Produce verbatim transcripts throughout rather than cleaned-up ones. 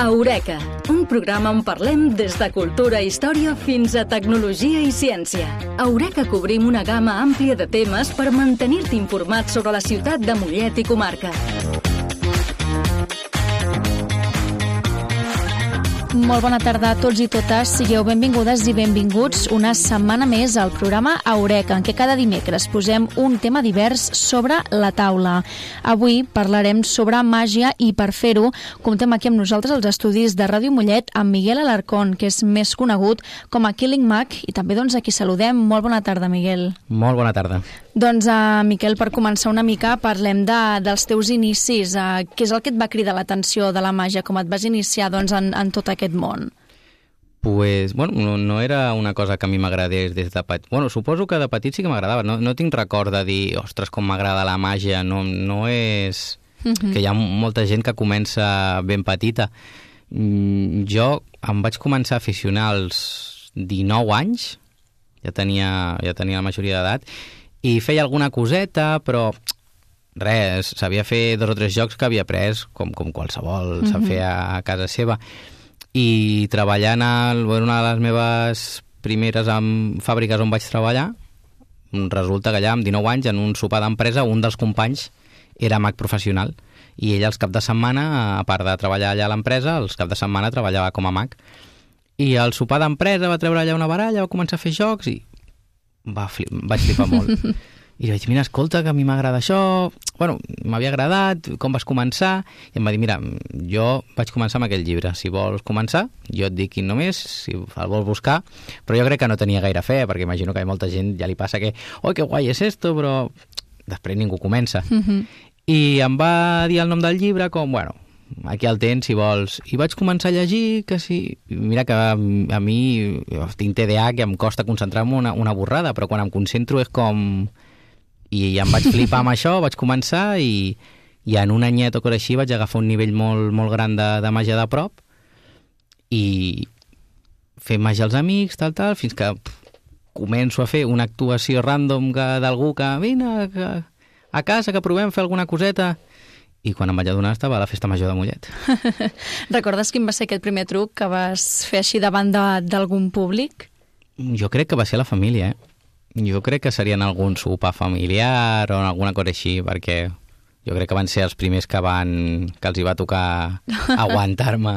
Eureka, un programa on parlem des de cultura i història fins a tecnologia i ciència. A Eureka cobrim una gamma àmplia de temes per mantenir-te informat sobre la ciutat de Mollet i comarca. Molt bona tarda a tots i totes. Sigueu benvingudes i benvinguts una setmana més al programa Eureka, en què cada dimecres posem un tema divers sobre la taula. Avui parlarem sobre màgia i per fer-ho comptem aquí amb nosaltres als estudis de Ràdio Mollet amb Miguel Alarcón, que és més conegut com a Killing Mag, i també doncs aquí saludem. Molt bona tarda, Miguel. Molt bona tarda. Doncs, uh, Miquel, per començar una mica, parlem de, dels teus inicis. Uh, què és el que et va cridar l'atenció de la màgia? Com et vas iniciar doncs, en, en tot aquest món? Pues, bueno, no, no era una cosa que a mi m'agradés des de petit. Bueno, suposo que de petit sí que m'agradava. No, no tinc record de dir, ostres, com m'agrada la màgia. No, no és... Uh-huh. Que hi ha molta gent que comença ben petita. Mm, jo em vaig començar a aficionar als dinou anys, ja tenia, ja tenia la majoria d'edat, i feia alguna coseta, però res, sabia fer dos o tres jocs que havia après, com, com qualsevol uh-huh. sap fer a, a casa seva. I treballant a una de les meves primeres en fàbriques on vaig treballar, resulta que allà amb dinou anys, en un sopar d'empresa, un dels companys era mag professional, i ell els cap de setmana, a part de treballar allà a l'empresa, els cap de setmana treballava com a mag. I al sopar d'empresa va treure allà una baralla, va començar a fer jocs i va flip, vaig flipar molt. I vaig dir, mira, escolta, que a mi m'agrada això, bueno, m'havia agradat, com vas començar? I em va dir, mira, jo vaig començar amb aquell llibre, si vols començar, jo et dic quin només, si el vols buscar, però jo crec que no tenia gaire fe, perquè imagino que a molta gent ja li passa que, oi, que guai és esto, però després ningú comença. Uh-huh. I em va dir el nom del llibre com, bueno, aquí el tens, si vols. I vaig començar a llegir, que sí... Mira que a, a mi tinc T D A, que em costa concentrar-me una, una borrada, però quan em concentro és com... I em vaig flipar amb això, vaig començar i, i en un anyet o cosa així vaig agafar un nivell molt, molt gran de, de màgia de prop i fer màgia als amics, tal, tal, fins que pff, començo a fer una actuació random d'algú que vine que, a casa, que provem fer alguna coseta. I quan em vaig adonar estava a la festa major de Mollet. Recordes quin va ser aquest primer truc que vas fer així davant d'algun públic? Jo crec que va ser la família, eh? Jo crec que serien algun sopar familiar o alguna cosa així, perquè jo crec que van ser els primers que van que els hi va tocar aguantar-me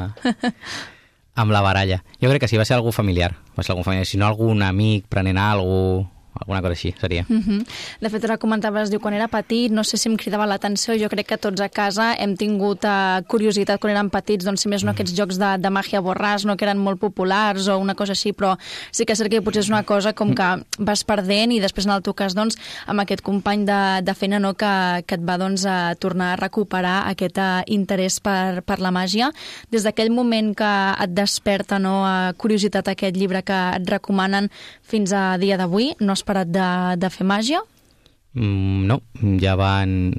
amb la baralla. Jo crec que sí, va ser algú familiar, va ser algú familiar. Si no, algun amic prenent alguna cosa, alguna cosa així seria. Uh-huh. De fet, ara comentaves, diu, quan era petit, no sé si em cridava l'atenció, jo crec que tots a casa hem tingut uh, curiositat quan érem petits, doncs si més no aquests jocs de, de màgia borràs, no, que eren molt populars o una cosa així, però sí que és cert que potser és una cosa com que vas perdent i després en el teu cas, doncs, amb aquest company de, de feina, no, que, que et va, doncs, a tornar a recuperar aquest uh, interès per, per la màgia. Des d'aquell moment que et desperta, no, uh, curiositat aquest llibre que et recomanen fins a dia d'avui, no has parat de, de fer màgia? Mm, no, ja van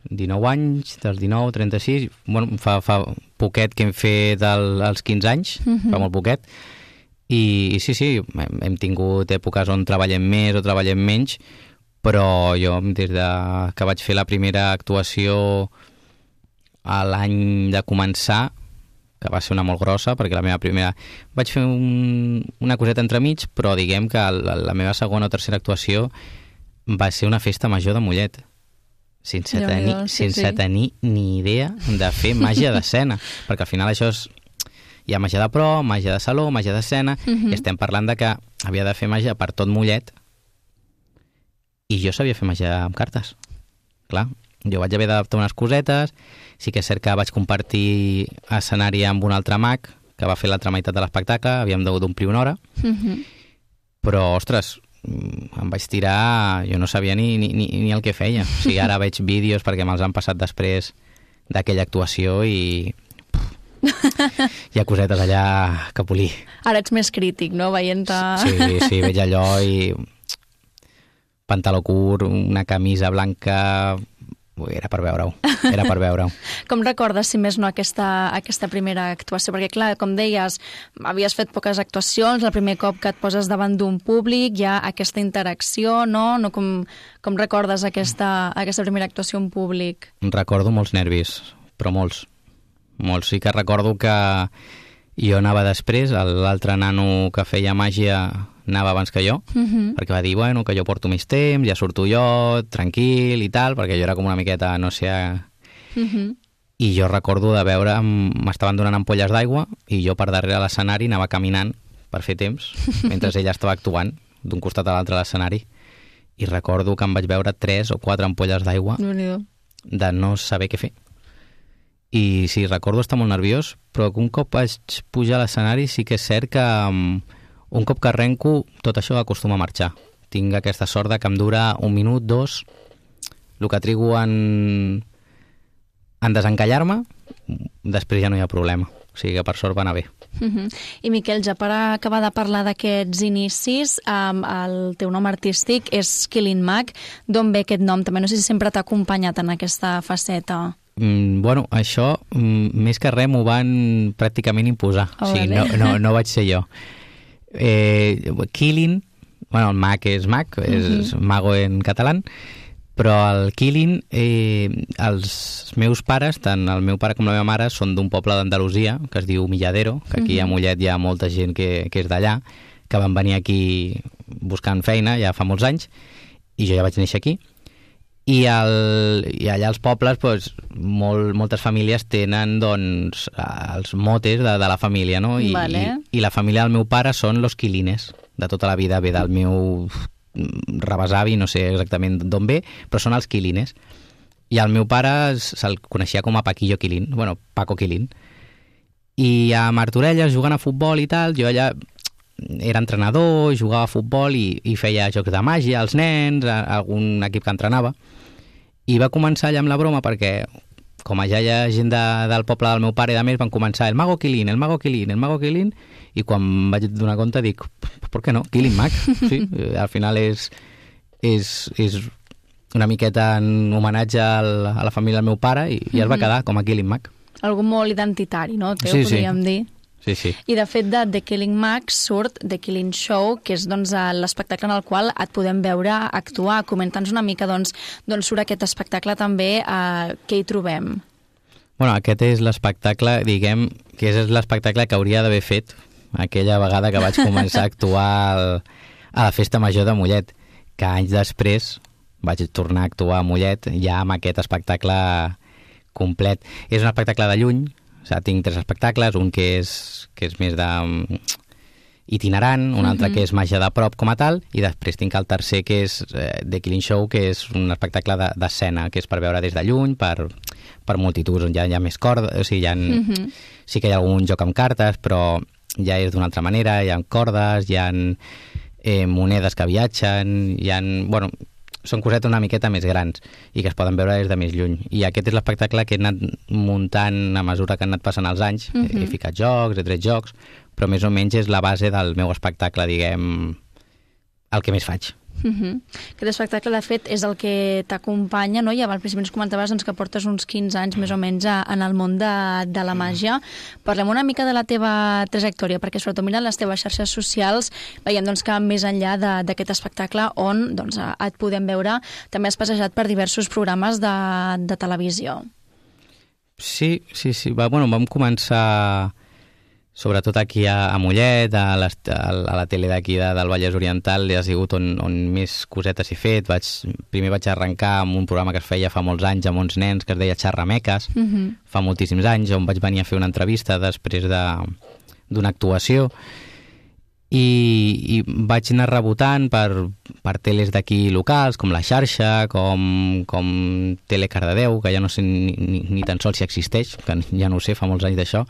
dinou anys, dels dinou, trenta-sis, bueno, fa, fa poquet que hem fet el, els quinze anys, uh-huh. fa molt poquet, i, i sí, sí, hem, hem tingut èpoques on treballem més o treballem menys, però jo des de que vaig fer la primera actuació a l'any de començar, que va ser una molt grossa, perquè la meva primera... Vaig fer un, una coseta entremig, però diguem que la, la meva segona o tercera actuació va ser una festa major de Mollet, sense, jo, tenir, jo, sí, sense sí. tenir ni idea de fer màgia d'escena, perquè al final això és... Hi ha màgia de pro, màgia de saló, màgia d'escena, uh-huh. i estem parlant de que havia de fer màgia per tot Mollet, i jo sabia fer màgia amb cartes. Clar, jo vaig haver d'adaptar unes cosetes. Sí que és cert que vaig compartir escenari amb un altre mag que va fer l'altra meitat de l'espectacle, havíem hagut d'omplir una hora, uh-huh. però, ostres, em vaig tirar, jo no sabia ni, ni, ni el que feia. O sigui, ara veig vídeos perquè me'ls han passat després d'aquella actuació i hi ha cosetes allà que polir. Ara ets més crític, no?, veient-te... Sí, sí, veig allò i pantaló curt, una camisa blanca... Era per veure-ho, era per veure-ho. Com recordes, si més no, aquesta, aquesta primera actuació? Perquè, clar, com deies, havies fet poques actuacions, el primer cop que et poses davant d'un públic, hi ha aquesta interacció, no? no com, com recordes aquesta, aquesta primera actuació en públic? Recordo molts nervis, però molts. molts. Sí que recordo que jo anava després, l'altre nano que feia màgia anava abans que jo, uh-huh. perquè va dir, bueno, que jo porto més temps, ja surto jo, tranquil i tal, perquè jo era com una miqueta, no sé... Uh-huh. I jo recordo de veure, m'estaven donant ampolles d'aigua i jo per darrere l'escenari anava caminant per fer temps, mentre ella estava actuant d'un costat a l'altre de l'escenari. I recordo que em vaig veure tres o quatre ampolles d'aigua de no saber què fer. I sí, recordo estar molt nerviós, però que un cop vaig pujar a l'escenari sí que és cert que um, un cop que arrenco tot això acostuma a marxar. Tinc aquesta sort de que em dura un minut, dos, el que trigo en, en desencallar-me, després ja no hi ha problema. O sigui que per sort va anar bé. Uh-huh. I Miquel, ja per acabar de parlar d'aquests inicis, um, el teu nom artístic és Killing Mac. D'on ve aquest nom? També no sé si sempre t'ha acompanyat en aquesta faceta. Mm, bueno, això, mm, més que res, m'ho van pràcticament imposar. Oh, o sigui, vale. no, no, no vaig ser jo. Eh, Killing, bueno, el Mac és Mac, és uh-huh. mago en català, però el Killing, eh, els meus pares, tant el meu pare com la meva mare, són d'un poble d'Andalusia, que es diu Milladero, que aquí uh-huh. a Mollet hi ha molta gent que, que és d'allà, que van venir aquí buscant feina ja fa molts anys, i jo ja vaig néixer aquí. I, el, i allà als pobles, doncs, molt, moltes famílies tenen doncs, els motes de, de la família, no? I, vale. i, I la família del meu pare són los Quilines, de tota la vida, ve del meu rebesavi, no sé exactament d'on ve, però són els Quilines. I el meu pare se'l coneixia com a Paquillo Quilín, bueno, Paco Quilín. I a Martorelles, jugant a futbol i tal, jo allà era entrenador, jugava a futbol i, i feia jocs de màgia als nens, a, a algun equip que entrenava. I va començar allà amb la broma perquè, com ja hi ha gent de, del poble del meu pare i de més, van començar el Mago Quilín, el Mago Quilín, el Mago Quilín, i quan vaig donar compte dic, per què no? Killing Mac. Sí, al final és, és, és una miqueta en homenatge al, a la família del meu pare i, i es va quedar com a Killing Mac. Algú molt identitari, no? Teu, sí, podríem sí. dir. Sí, sí. I de fet de The Killing Mac surt The Killing Show, que és doncs, l'espectacle en el qual et podem veure actuar. Comenta'ns una mica doncs, d'on surt aquest espectacle també, eh, què hi trobem. Bueno, aquest és l'espectacle, diguem, que és l'espectacle que hauria d'haver fet aquella vegada que vaig començar a actuar al, a la Festa Major de Mollet, que anys després vaig tornar a actuar a Mollet ja amb aquest espectacle complet. És un espectacle de lluny, o sigui, tinc tres espectacles, un que és, que és més de itinerant, un altre uh-huh. que és màgia de prop com a tal, i després tinc el tercer que és eh, The Killing Show, que és un espectacle d'escena, de, que és per veure des de lluny, per, per multituds, on ja hi ha més cordes, o sigui, hi ha, uh-huh. sí que hi ha algun joc amb cartes, però ja és d'una altra manera, hi ha cordes, hi ha eh, monedes que viatgen, hi ha... Bueno, són cosetes una miqueta més grans i que es poden veure des de més lluny. I aquest és l'espectacle que he anat muntant a mesura que han anat passant els anys. Uh-huh. He, he ficat jocs, he tret jocs, però més o menys és la base del meu espectacle, diguem, el que més faig. Uh-huh. Aquest espectacle, de fet, és el que t'acompanya, no? I abans ens comentaves doncs, que portes uns quinze anys més o menys a, en el món de, de la màgia. Parlem una mica de la teva trajectòria, perquè sobretot mirant les teves xarxes socials veiem doncs, que més enllà d'aquest espectacle on doncs, et podem veure, també has passejat per diversos programes de, de televisió. Sí, sí, sí. Va, bueno, vam començar sobretot aquí a, a Mollet, a, les, a, a la tele d'aquí de, del Vallès Oriental, ha sigut on, on més cosetes he fet. Vaig, primer vaig arrencar amb un programa que es feia fa molts anys amb uns nens, que es deia Xerrameques, uh-huh. fa moltíssims anys, on vaig venir a fer una entrevista després d'una actuació, i, i vaig anar rebotant per, per teles d'aquí locals, com La Xarxa, com, com Tele Cardedeu, que ja no sé ni, ni, ni tan sols si existeix, que ja no ho sé, fa molts anys d'això.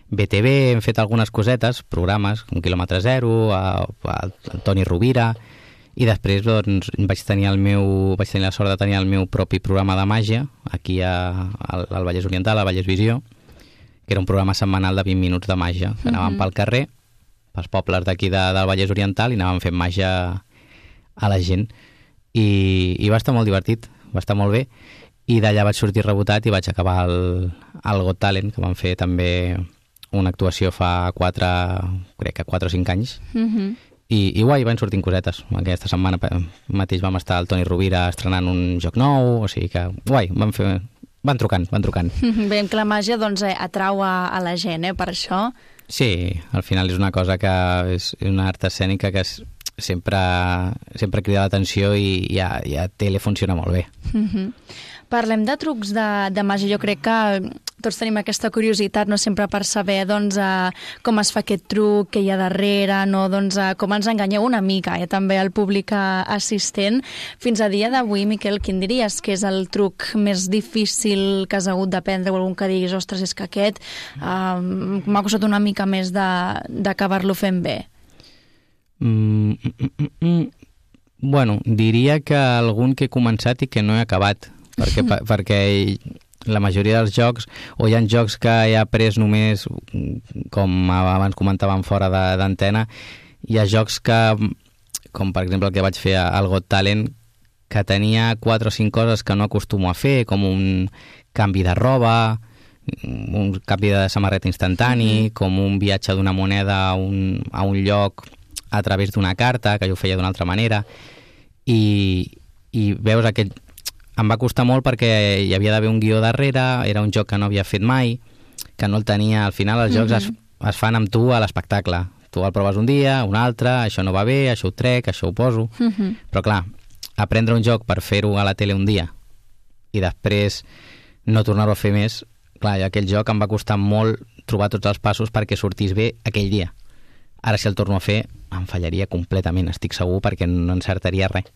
B T V, hem fet algunes cosetes, programes, com Quilòmetre Zero, a, a, a Toni Rovira, i després doncs, vaig tenir el meu, vaig tenir la sort de tenir el meu propi programa de màgia, aquí a, al, al Vallès Oriental, a Vallès Visió, que era un programa setmanal de vint minuts de màgia, que anàvem uh-huh. pel carrer, pels pobles d'aquí de, del Vallès Oriental, i anàvem fent màgia a la gent. I, i va estar molt divertit, va estar molt bé, i d'allà vaig sortir rebotat i vaig acabar el, el Got Talent, que vam fer també una actuació fa quatre, crec que quatre o cinc anys, uh-huh. I, i guai, van sortint cosetes. Aquesta setmana mateix vam estar al Toni Rovira estrenant un joc nou, o sigui que guai, vam fer, van trucant, van trucant. Veiem que la màgia doncs, atrau a, a la gent, eh, per això. Sí, al final és una cosa que és una art escènica que és, sempre, sempre crida l'atenció i, i, a, i a tele funciona molt bé. Mm-hmm. Parlem de trucs de, de màgia. Jo crec que tots tenim aquesta curiositat, no sempre per saber doncs, uh, com es fa aquest truc, què hi ha darrere, no? doncs, uh, com ens enganyeu una mica, eh? també al públic uh, assistent. Fins a dia d'avui, Miquel, quin diries que és el truc més difícil que has hagut d'aprendre, o algun que diguis, ostres, és que aquest uh, m'ha costat una mica més d'acabar-lo fent bé? Mm, mm, mm, mm. Bueno, diria que algun que he començat i que no he acabat, perquè, per, perquè la majoria dels jocs, o hi ha jocs que he après només, com abans comentàvem fora d'antena, hi ha jocs que, com per exemple el que vaig fer al Got Talent, que tenia quatre o cinc coses que no acostumo a fer, com un canvi de roba, un canvi de samarreta instantani, mm-hmm. com un viatge d'una moneda a un, a un lloc a través d'una carta, que jo ho feia d'una altra manera, i, i veus aquest... Em va costar molt perquè hi havia d'haver un guió darrere, era un joc que no havia fet mai, que no el tenia. Al final els jocs mm-hmm. es, es fan amb tu a l'espectacle. Tu el proves un dia, un altre, això no va bé, això ho trec, això ho poso... Mm-hmm. Però clar, aprendre un joc per fer-ho a la tele un dia i després no tornar-ho a fer més, clar, aquell joc em va costar molt trobar tots els passos perquè sortís bé aquell dia. Ara si el torno a fer em fallaria completament, estic segur, perquè no encertaria res.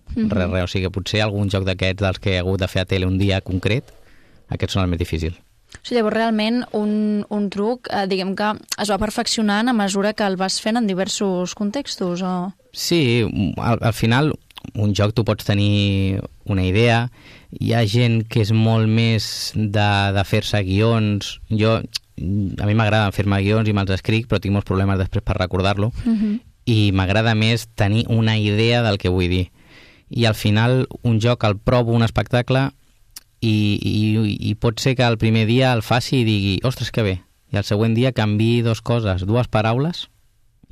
Mm-hmm. Res, res. O sigui, potser algun joc d'aquests dels que he hagut de fer a tele un dia concret, aquests són els més difícils. O sigui, llavors realment un, un truc, eh, diguem que es va perfeccionant a mesura que el vas fent en diversos contextos, o...? Sí, al, al final un joc tu pots tenir una idea, hi ha gent que és molt més de, de fer-se guions. Jo, a mi m'agrada fer-me guions i me'ls escric, però tinc molts problemes després per recordar-lo, mm-hmm. i m'agrada més tenir una idea del que vull dir. I al final un joc el provo, un espectacle, i, i, i pot ser que el primer dia el faci i digui, ostres, que bé, i el següent dia canviï dues coses, dues paraules,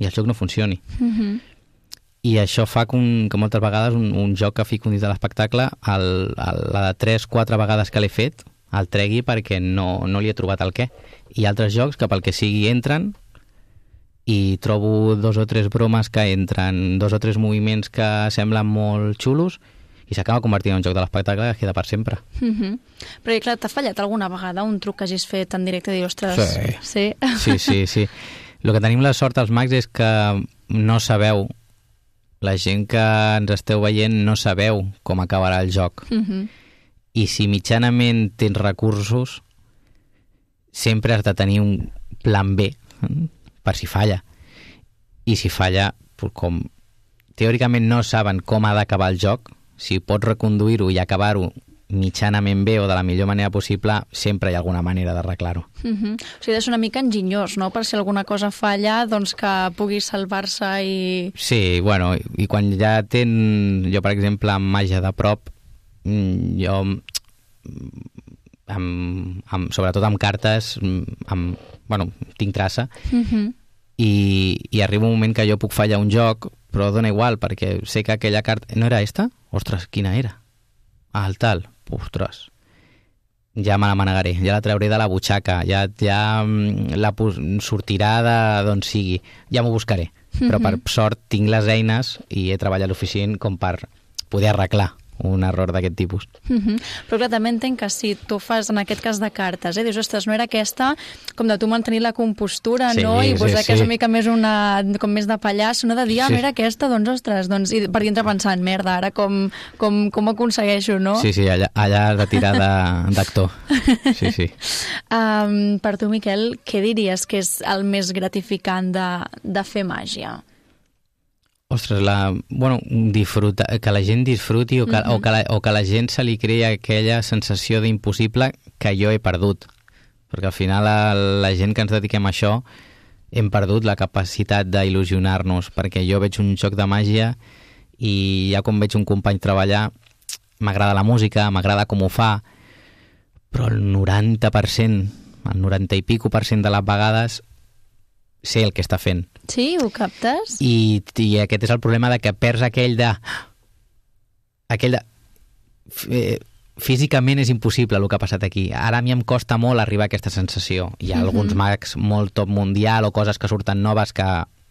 i el joc no funcioni. Mm-hmm. I això fa que, un, que moltes vegades un, un joc que fico dins de l'espectacle, el, el, la de tres, quatre vegades que l'he fet, el tregui perquè no, no li he trobat el què. I altres jocs que pel que sigui entren, i trobo dos o tres bromes que entren, dos o tres moviments que semblen molt xulos, i s'acaba convertint en un joc de l'espectacle que queda per sempre. Mm-hmm. Però, clar, t'ha fallat alguna vegada un truc que hagis fet en directe i dir, ostres... Sí, sí, sí. sí, sí. El que tenim la sort als mags és que no sabeu, la gent que ens esteu veient no sabeu com acabarà el joc. Mm-hmm. I si mitjanament tens recursos, sempre has de tenir un plan B, per si falla. I si falla, com teòricament no saben com ha d'acabar el joc, si pots reconduir-ho i acabar-ho mitjanament bé o de la millor manera possible, sempre hi ha alguna manera d'arreglar-ho. Mm-hmm. O sigui, és una mica enginyós, no?, per si alguna cosa falla, doncs que pugui salvar-se i... Sí, bueno, i quan ja tens, jo per exemple, amb màgia de prop, jo, amb, amb, sobretot amb cartes, amb, bueno, tinc traça, mm-hmm. i, i arriba un moment que jo puc fallar un joc, però dona igual, perquè sé que aquella carta... No era esta? Ostres, quina era? Ah, el tal. Ostres. Ja me la manegaré, ja la trauré de la butxaca, ja, ja la sortirà de d'on sigui, ja m'ho buscaré. Mm-hmm. Però per sort tinc les eines i he treballat lo suficient com per poder arreglar un error d'aquest tipus. Mm-hmm. Però clar, també entenc que si tu fas, en aquest cas de cartes, eh, dius, ostres, no era aquesta, com de tu mantenir la compostura, sí, no? I pues, sí, que és una mica més una, com més de pallasso, no? De dir, ah, sí. no era aquesta, doncs, ostres, doncs, i per dintre pensant, merda, ara com, com, com ho aconsegueixo, no? Sí, sí, allà, allà has de tirar d'actor. Sí, sí. Um, per tu, Miquel, què diries que és el més gratificant de, de fer màgia? Ostres, la, bueno, disfruta, que la gent disfruti o que, mm-hmm. o, que la, o que la gent se li crea aquella sensació d'impossible que jo he perdut. Perquè al final la, la gent que ens dediquem a això hem perdut la capacitat d'il·lusionar-nos, perquè jo veig un joc de màgia i ja quan veig un company treballar m'agrada la música, m'agrada com ho fa, però el noranta per cent, el noranta i pico per cent de les vegades sé el que està fent. Sí, ho captes? I, i aquest és el problema de que perds aquell de... aquell de... Eh, físicament és impossible el que ha passat aquí. Ara a mi em costa molt arribar a aquesta sensació. Hi ha uh-huh. alguns mags molt top mundial o coses que surten noves que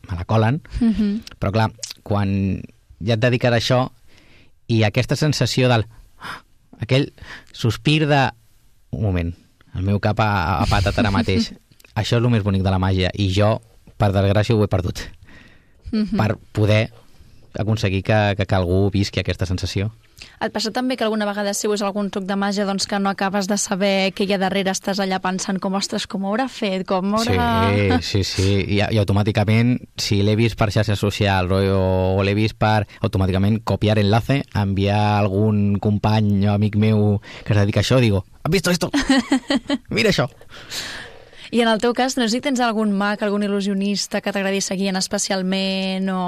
me la colen, uh-huh. però clar, quan ja et dediques a això i aquesta sensació del... aquell sospir de... Un moment, el meu cap ha, ha patat ara mateix. Això és el més bonic de la màgia i jo, per desgràcia, ho he perdut. Uh-huh. Per poder aconseguir que, que, que algú visqui aquesta sensació. Et passa també que alguna vegada si veus algun truc de màgia doncs que no acabes de saber què hi ha darrere, estàs allà pensant com, ostres, com ho haurà fet, com haurà... Sí, sí, sí, I, i automàticament, si l'he vist per xarxes socials o, o l'he vist per automàticament copiar enlace, enviar a algun company o amic meu que es dedica a això, digo, ¿has visto esto? Mira això! I en el teu cas, no sé si tens algun mag, algun il·lusionista que t'agradi seguir especialment o...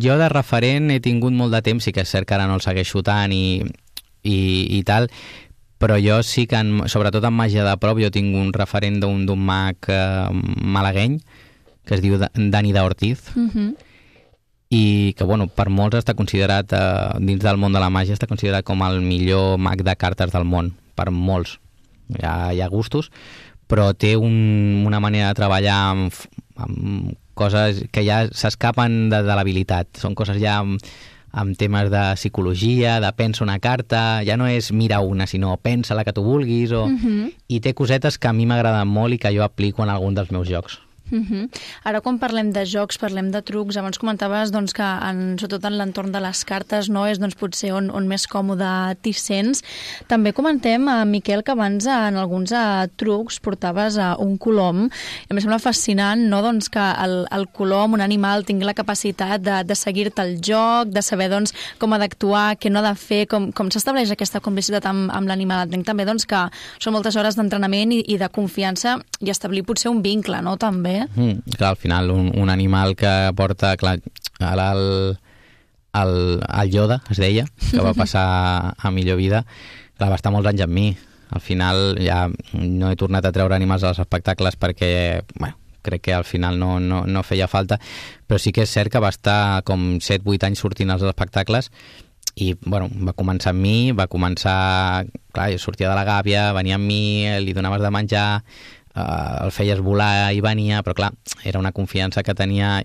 Jo de referent he tingut molt de temps, sí que és cert que ara no el segueixo tant i, i, i tal, però jo sí que, en, sobretot en màgia de prop, jo tinc un referent d'un d'un mag eh, malagueny que es diu Dani d'Ortiz, uh-huh. i que, bueno, per molts està considerat, eh, dins del món de la màgia, està considerat com el millor mag de cartes del món, per molts. Hi ha, hi ha gustos, però té un, una manera de treballar amb, amb coses que ja s'escapen de, de l'habilitat. Són coses ja amb, amb temes de psicologia, de pensa una carta, ja no és mira una, sinó pensa la que tu vulguis, o... uh-huh. i té cosetes que a mi m'agraden molt i que jo aplico en algun dels meus jocs. Uh-huh. Ara quan parlem de jocs, parlem de trucs, abans comentaves doncs, que en, sobretot en l'entorn de les cartes no és doncs, potser on, on més còmode t'hi sents. També comentem, uh, Miquel, que abans en alguns uh, trucs portaves uh, un colom, i em sembla fascinant no? doncs, que el, el colom, un animal, tingui la capacitat de, de seguir-te el joc, de saber doncs, com ha d'actuar, què no ha de fer, com, com s'estableix aquesta complicitat amb, amb l'animal. Entenc també doncs, que són moltes hores d'entrenament i, i de confiança i establir potser un vincle, no?, també. Mm, clar, al final un, un animal que porta, clar, ara el, el, el Yoda, es deia, que va passar a millor vida, clar, va estar molts anys amb mi. Al final ja no he tornat a treure animals als espectacles perquè, bueno, crec que al final no, no, no feia falta, però sí que és cert que va estar com set vuit anys sortint als espectacles i, bueno, va començar amb mi, va començar, clar, sortia de la gàbia, venia amb mi, li donaves de menjar, Uh, el feies volar i venia, però clar, era una confiança que tenia,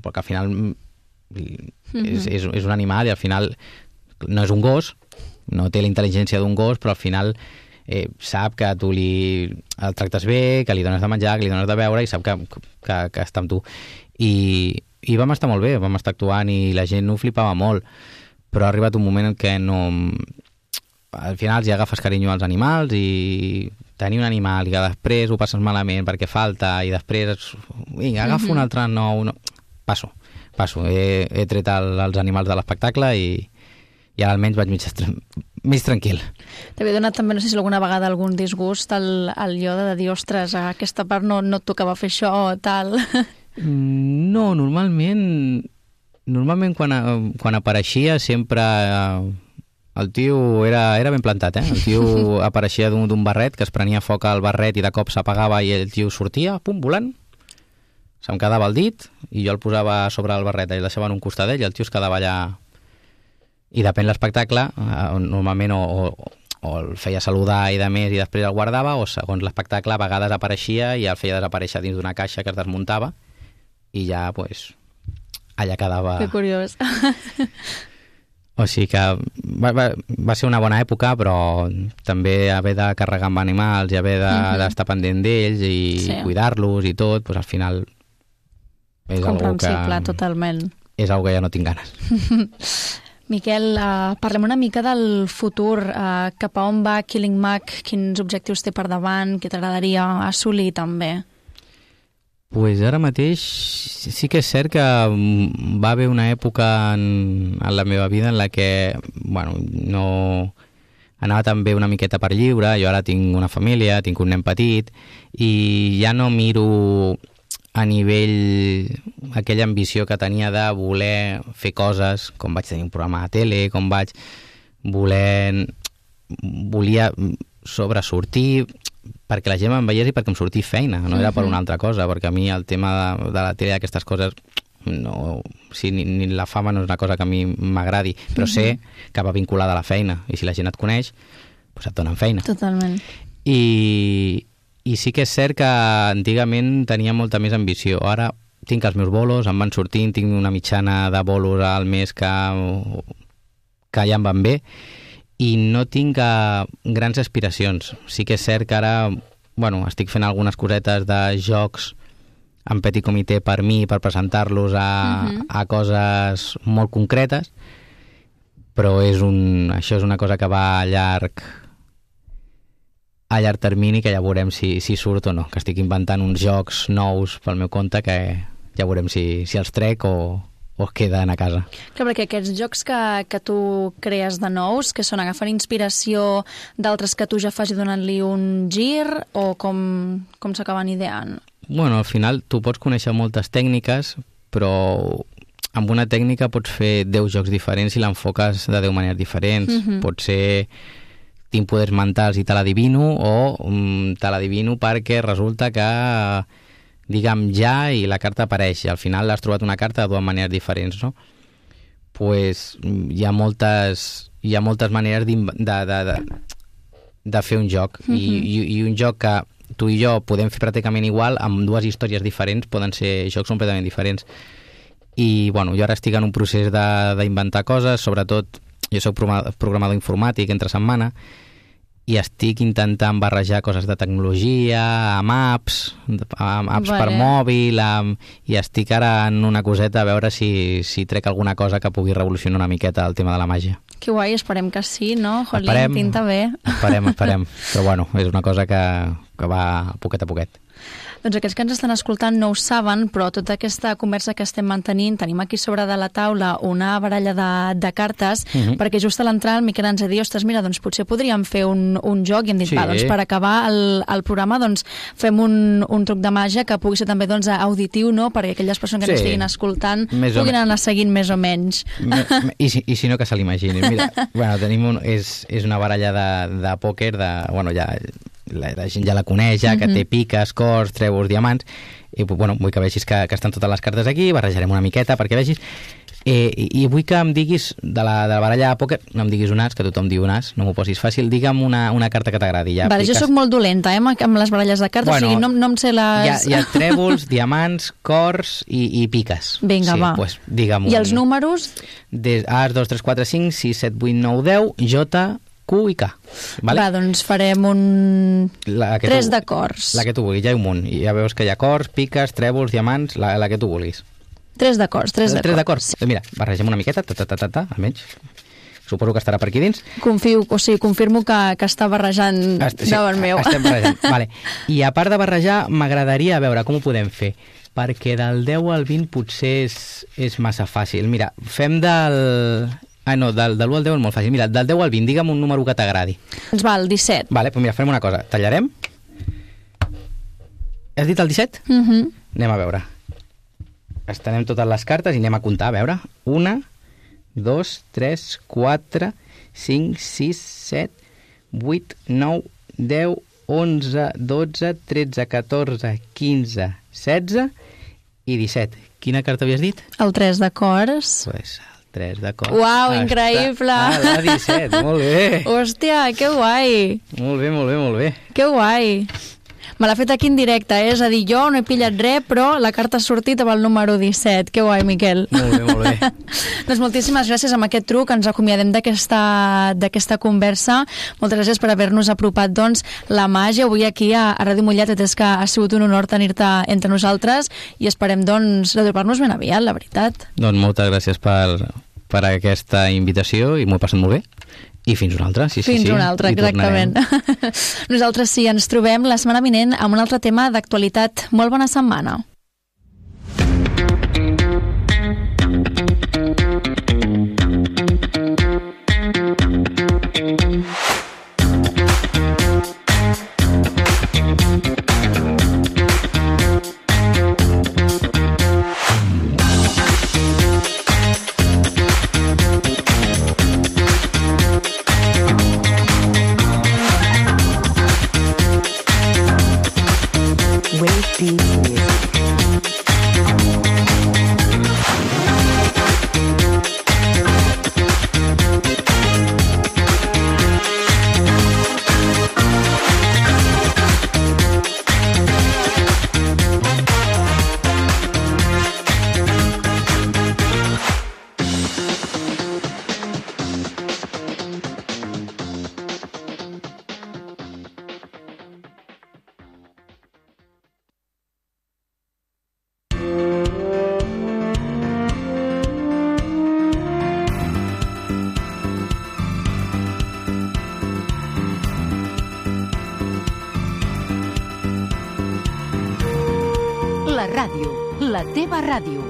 perquè al final mm-hmm. és, és, és un animal i al final no és un gos, no té la intel·ligència d'un gos, però al final eh, sap que tu li el tractes bé, que li dones de menjar, que li dones de beure i sap que, que, que està amb tu. I, i vam estar molt bé, vam estar actuant i la gent ho flipava molt, però ha arribat un moment en què no... al final ja agafes carinyo als animals i tenir un animal i que després ho passes malament perquè falta i després vinga, agafo mm-hmm. un altre nou, no. passo, passo he, he tret el, els animals de l'espectacle i, i ara almenys vaig mig, mig tranquil. T'havia donat també, no sé si alguna vegada algun disgust al, al Yoda de dir, ostres, aquesta part no, no et tocava fer això o tal? No, normalment normalment quan, quan apareixia sempre el tio era, era ben plantat, eh? El tio apareixia d'un barret que es prenia foc al barret i de cop s'apagava i el tio sortia, pum, volant, se'm quedava el dit i jo el posava sobre el barret i el deixava en un costat d'ell i el tio es quedava allà. I depèn l'espectacle, normalment o, o, o el feia saludar i de més i després el guardava, o segons l'espectacle a vegades apareixia i el feia desaparèixer dins d'una caixa que es desmuntava i ja, pues, allà quedava... Que curiós. O sigui que va, va, va ser una bona època, però també haver de carregar amb animals i haver d'estar de, mm-hmm. pendent d'ells i sí. cuidar-los i tot, doncs al final és algo que... totalment. És algo que ja no tinc ganes. Miquel, uh, parlem una mica del futur. Uh, cap a on va Killing Mag? Quins objectius té per davant? Què t'agradaria assolir també? Pues ara mateix sí que és cert que va haver una època en, en la meva vida en la que, bueno, no anava també una miqueta per lliure. Jo ara tinc una família, tinc un nen petit i ja no miro a nivell aquella ambició que tenia de voler fer coses, com vaig tenir un programa de tele, com vaig voler volia sobresortir perquè la gent em veiés i perquè em sortís feina, no era per una altra cosa, perquè a mi el tema de, de la tele i aquestes coses no, sí, ni, ni la fama no és una cosa que a mi m'agradi, però mm-hmm. sé que va vinculada a la feina, i si la gent et coneix, doncs et donen feina. Totalment. I, i sí que és cert que antigament tenia molta més ambició. Ara tinc els meus bolos, em van sortint, tinc una mitjana de bolos al mes que, que ja em van bé, i no tinc uh, grans aspiracions. Sí que és cert que ara, bueno, estic fent algunes cosetes de jocs en petit comitè per mi, per presentar-los a, uh-huh. a coses molt concretes, però és un, això és una cosa que va a llarg a llarg termini, que ja veurem si, si surt o no, que estic inventant uns jocs nous pel meu compte que ja veurem si, si els trec o, o es queden a casa. Clar, perquè aquests jocs que, que tu crees de nous, que són agafant inspiració d'altres que tu ja fas i donant-li un gir, o com, com s'acaben ideant? Bueno, al final tu pots conèixer moltes tècniques, però amb una tècnica pots fer deu jocs diferents i l'enfoques de deu maneres diferents. Mm-hmm. Pot ser tinc poders mentals i te l'adivino, o um, te l'adivino perquè resulta que diguem ja i la carta apareix, i al final has trobat una carta de dues maneres diferents, no? Pues hi ha moltes, hi ha moltes maneres de, de, de, de fer un joc. Mm-hmm. I, i, i un joc que tu i jo podem fer pràcticament igual, amb dues històries diferents, poden ser jocs completament diferents. I bueno, jo ara estic en un procés d'inventar coses, sobretot jo soc programador informàtic entre setmana, i estic intentant barrejar coses de tecnologia, amb apps, amb apps vale. per mòbil, amb, i estic ara en una coseta a veure si, si trec alguna cosa que pugui revolucionar una miqueta el tema de la màgia. Que guai, esperem que sí, no? Jolín, tinta bé. Esperem, esperem. Però bueno, és una cosa que, que va poquet a poquet. Doncs aquells que ens estan escoltant no ho saben, però tota aquesta conversa que estem mantenint, tenim aquí sobre de la taula una baralla de, de cartes, uh-huh. perquè just a l'entrar el Miquel ens ha dit, ostres, mira, doncs potser podríem fer un, un joc, i hem dit, sí. va, doncs per acabar el, el programa, doncs fem un, un truc de màgia que pugui ser també doncs, auditiu, no?, perquè aquelles persones que sí. ens estiguin escoltant més puguin anar seguint més o menys. Me, me, i, si, I si no, que se l'imaginin. Mira, bueno, tenim un, és, és una baralla de, de pòquer, de, bueno, ja... La, la gent ja la coneix, ja, que mm-hmm. té piques, cors, trèvols, diamants, i bueno, vull que vegis que, que estan totes les cartes aquí, barrejarem una miqueta perquè vegis, eh, i, i vull que em diguis de la, de la baralla de pòquer, no em diguis un as, que tothom diu un as, no m'ho posis fàcil, digue'm una, una carta que t'agradi. Ja, vale, jo sóc molt dolenta, eh, amb les baralles de cartes, bueno, o sigui, no, no em sé les... Hi ha, hi ha trèvols, diamants, cors i, i piques. Vinga, sí, va. Pues, digue'm I un, els números? Des, as, dos, tres, quatre, cinc, sis, set, vuit, nou, deu, J... Q i K. Vale? Va, doncs farem un... La que tres tu, de cors. La que tu vulguis, ja hi ha un munt. I ja veus que hi ha cors, piques, trèvols, diamants, la, la que tu vulguis. Tres de cors, tres de tres cors. de cors. Sí. Mira, barregem una miqueta, ta, ta, ta, ta, ta, almenys. Suposo que estarà per aquí dins. Confio, o sigui, confirmo que, que està barrejant Est sí, davant meu. Estem barrejant, vale. I a part de barrejar, m'agradaria veure com ho podem fer, perquè del deu al vint potser és, és massa fàcil. Mira, fem del... Ah, no, del, del u al deu és molt fàcil. Mira, del deu al vint, digue'm un número que t'agradi. Doncs va, el disset. Vale, doncs mira, farem una cosa. Tallarem. Has dit el disset? Mhm. Uh-huh. Anem a veure. Estenem totes les cartes i anem a comptar, a veure. Una, dos, tres, quatre, cinc, sis, set, vuit, nou, deu, onze, dotze, tretze, catorze, quinze, setze i disset. Quina carta havies dit? El tres de cors. Pues... tres de cors. Uau, increïble! Ah, la disset, molt bé. Hòstia, que guai! Molt bé, molt bé, molt bé. Que guai! Me l'ha fet aquí en directe, eh? És a dir, jo no he pillat res, però la carta ha sortit amb el número disset. Que guai, Miquel. Molt bé, molt bé. Doncs moltíssimes gràcies amb aquest truc. Ens acomiadem d'aquesta conversa. Moltes gràcies per haver-nos apropat, doncs, la màgia avui aquí a, a Ràdio Mollet. És que ha sigut un honor tenir-te entre nosaltres i esperem, doncs, retrobar-nos ben aviat, la veritat. Doncs moltes gràcies per, per aquesta invitació i m'ho he passat molt bé. I fins una altra, sí, sí, fins sí. Fins una altra, exactament. Nosaltres sí, ens trobem la setmana vinent amb un altre tema d'actualitat. Molt bona setmana. Deep music. La ràdio, la teva ràdio.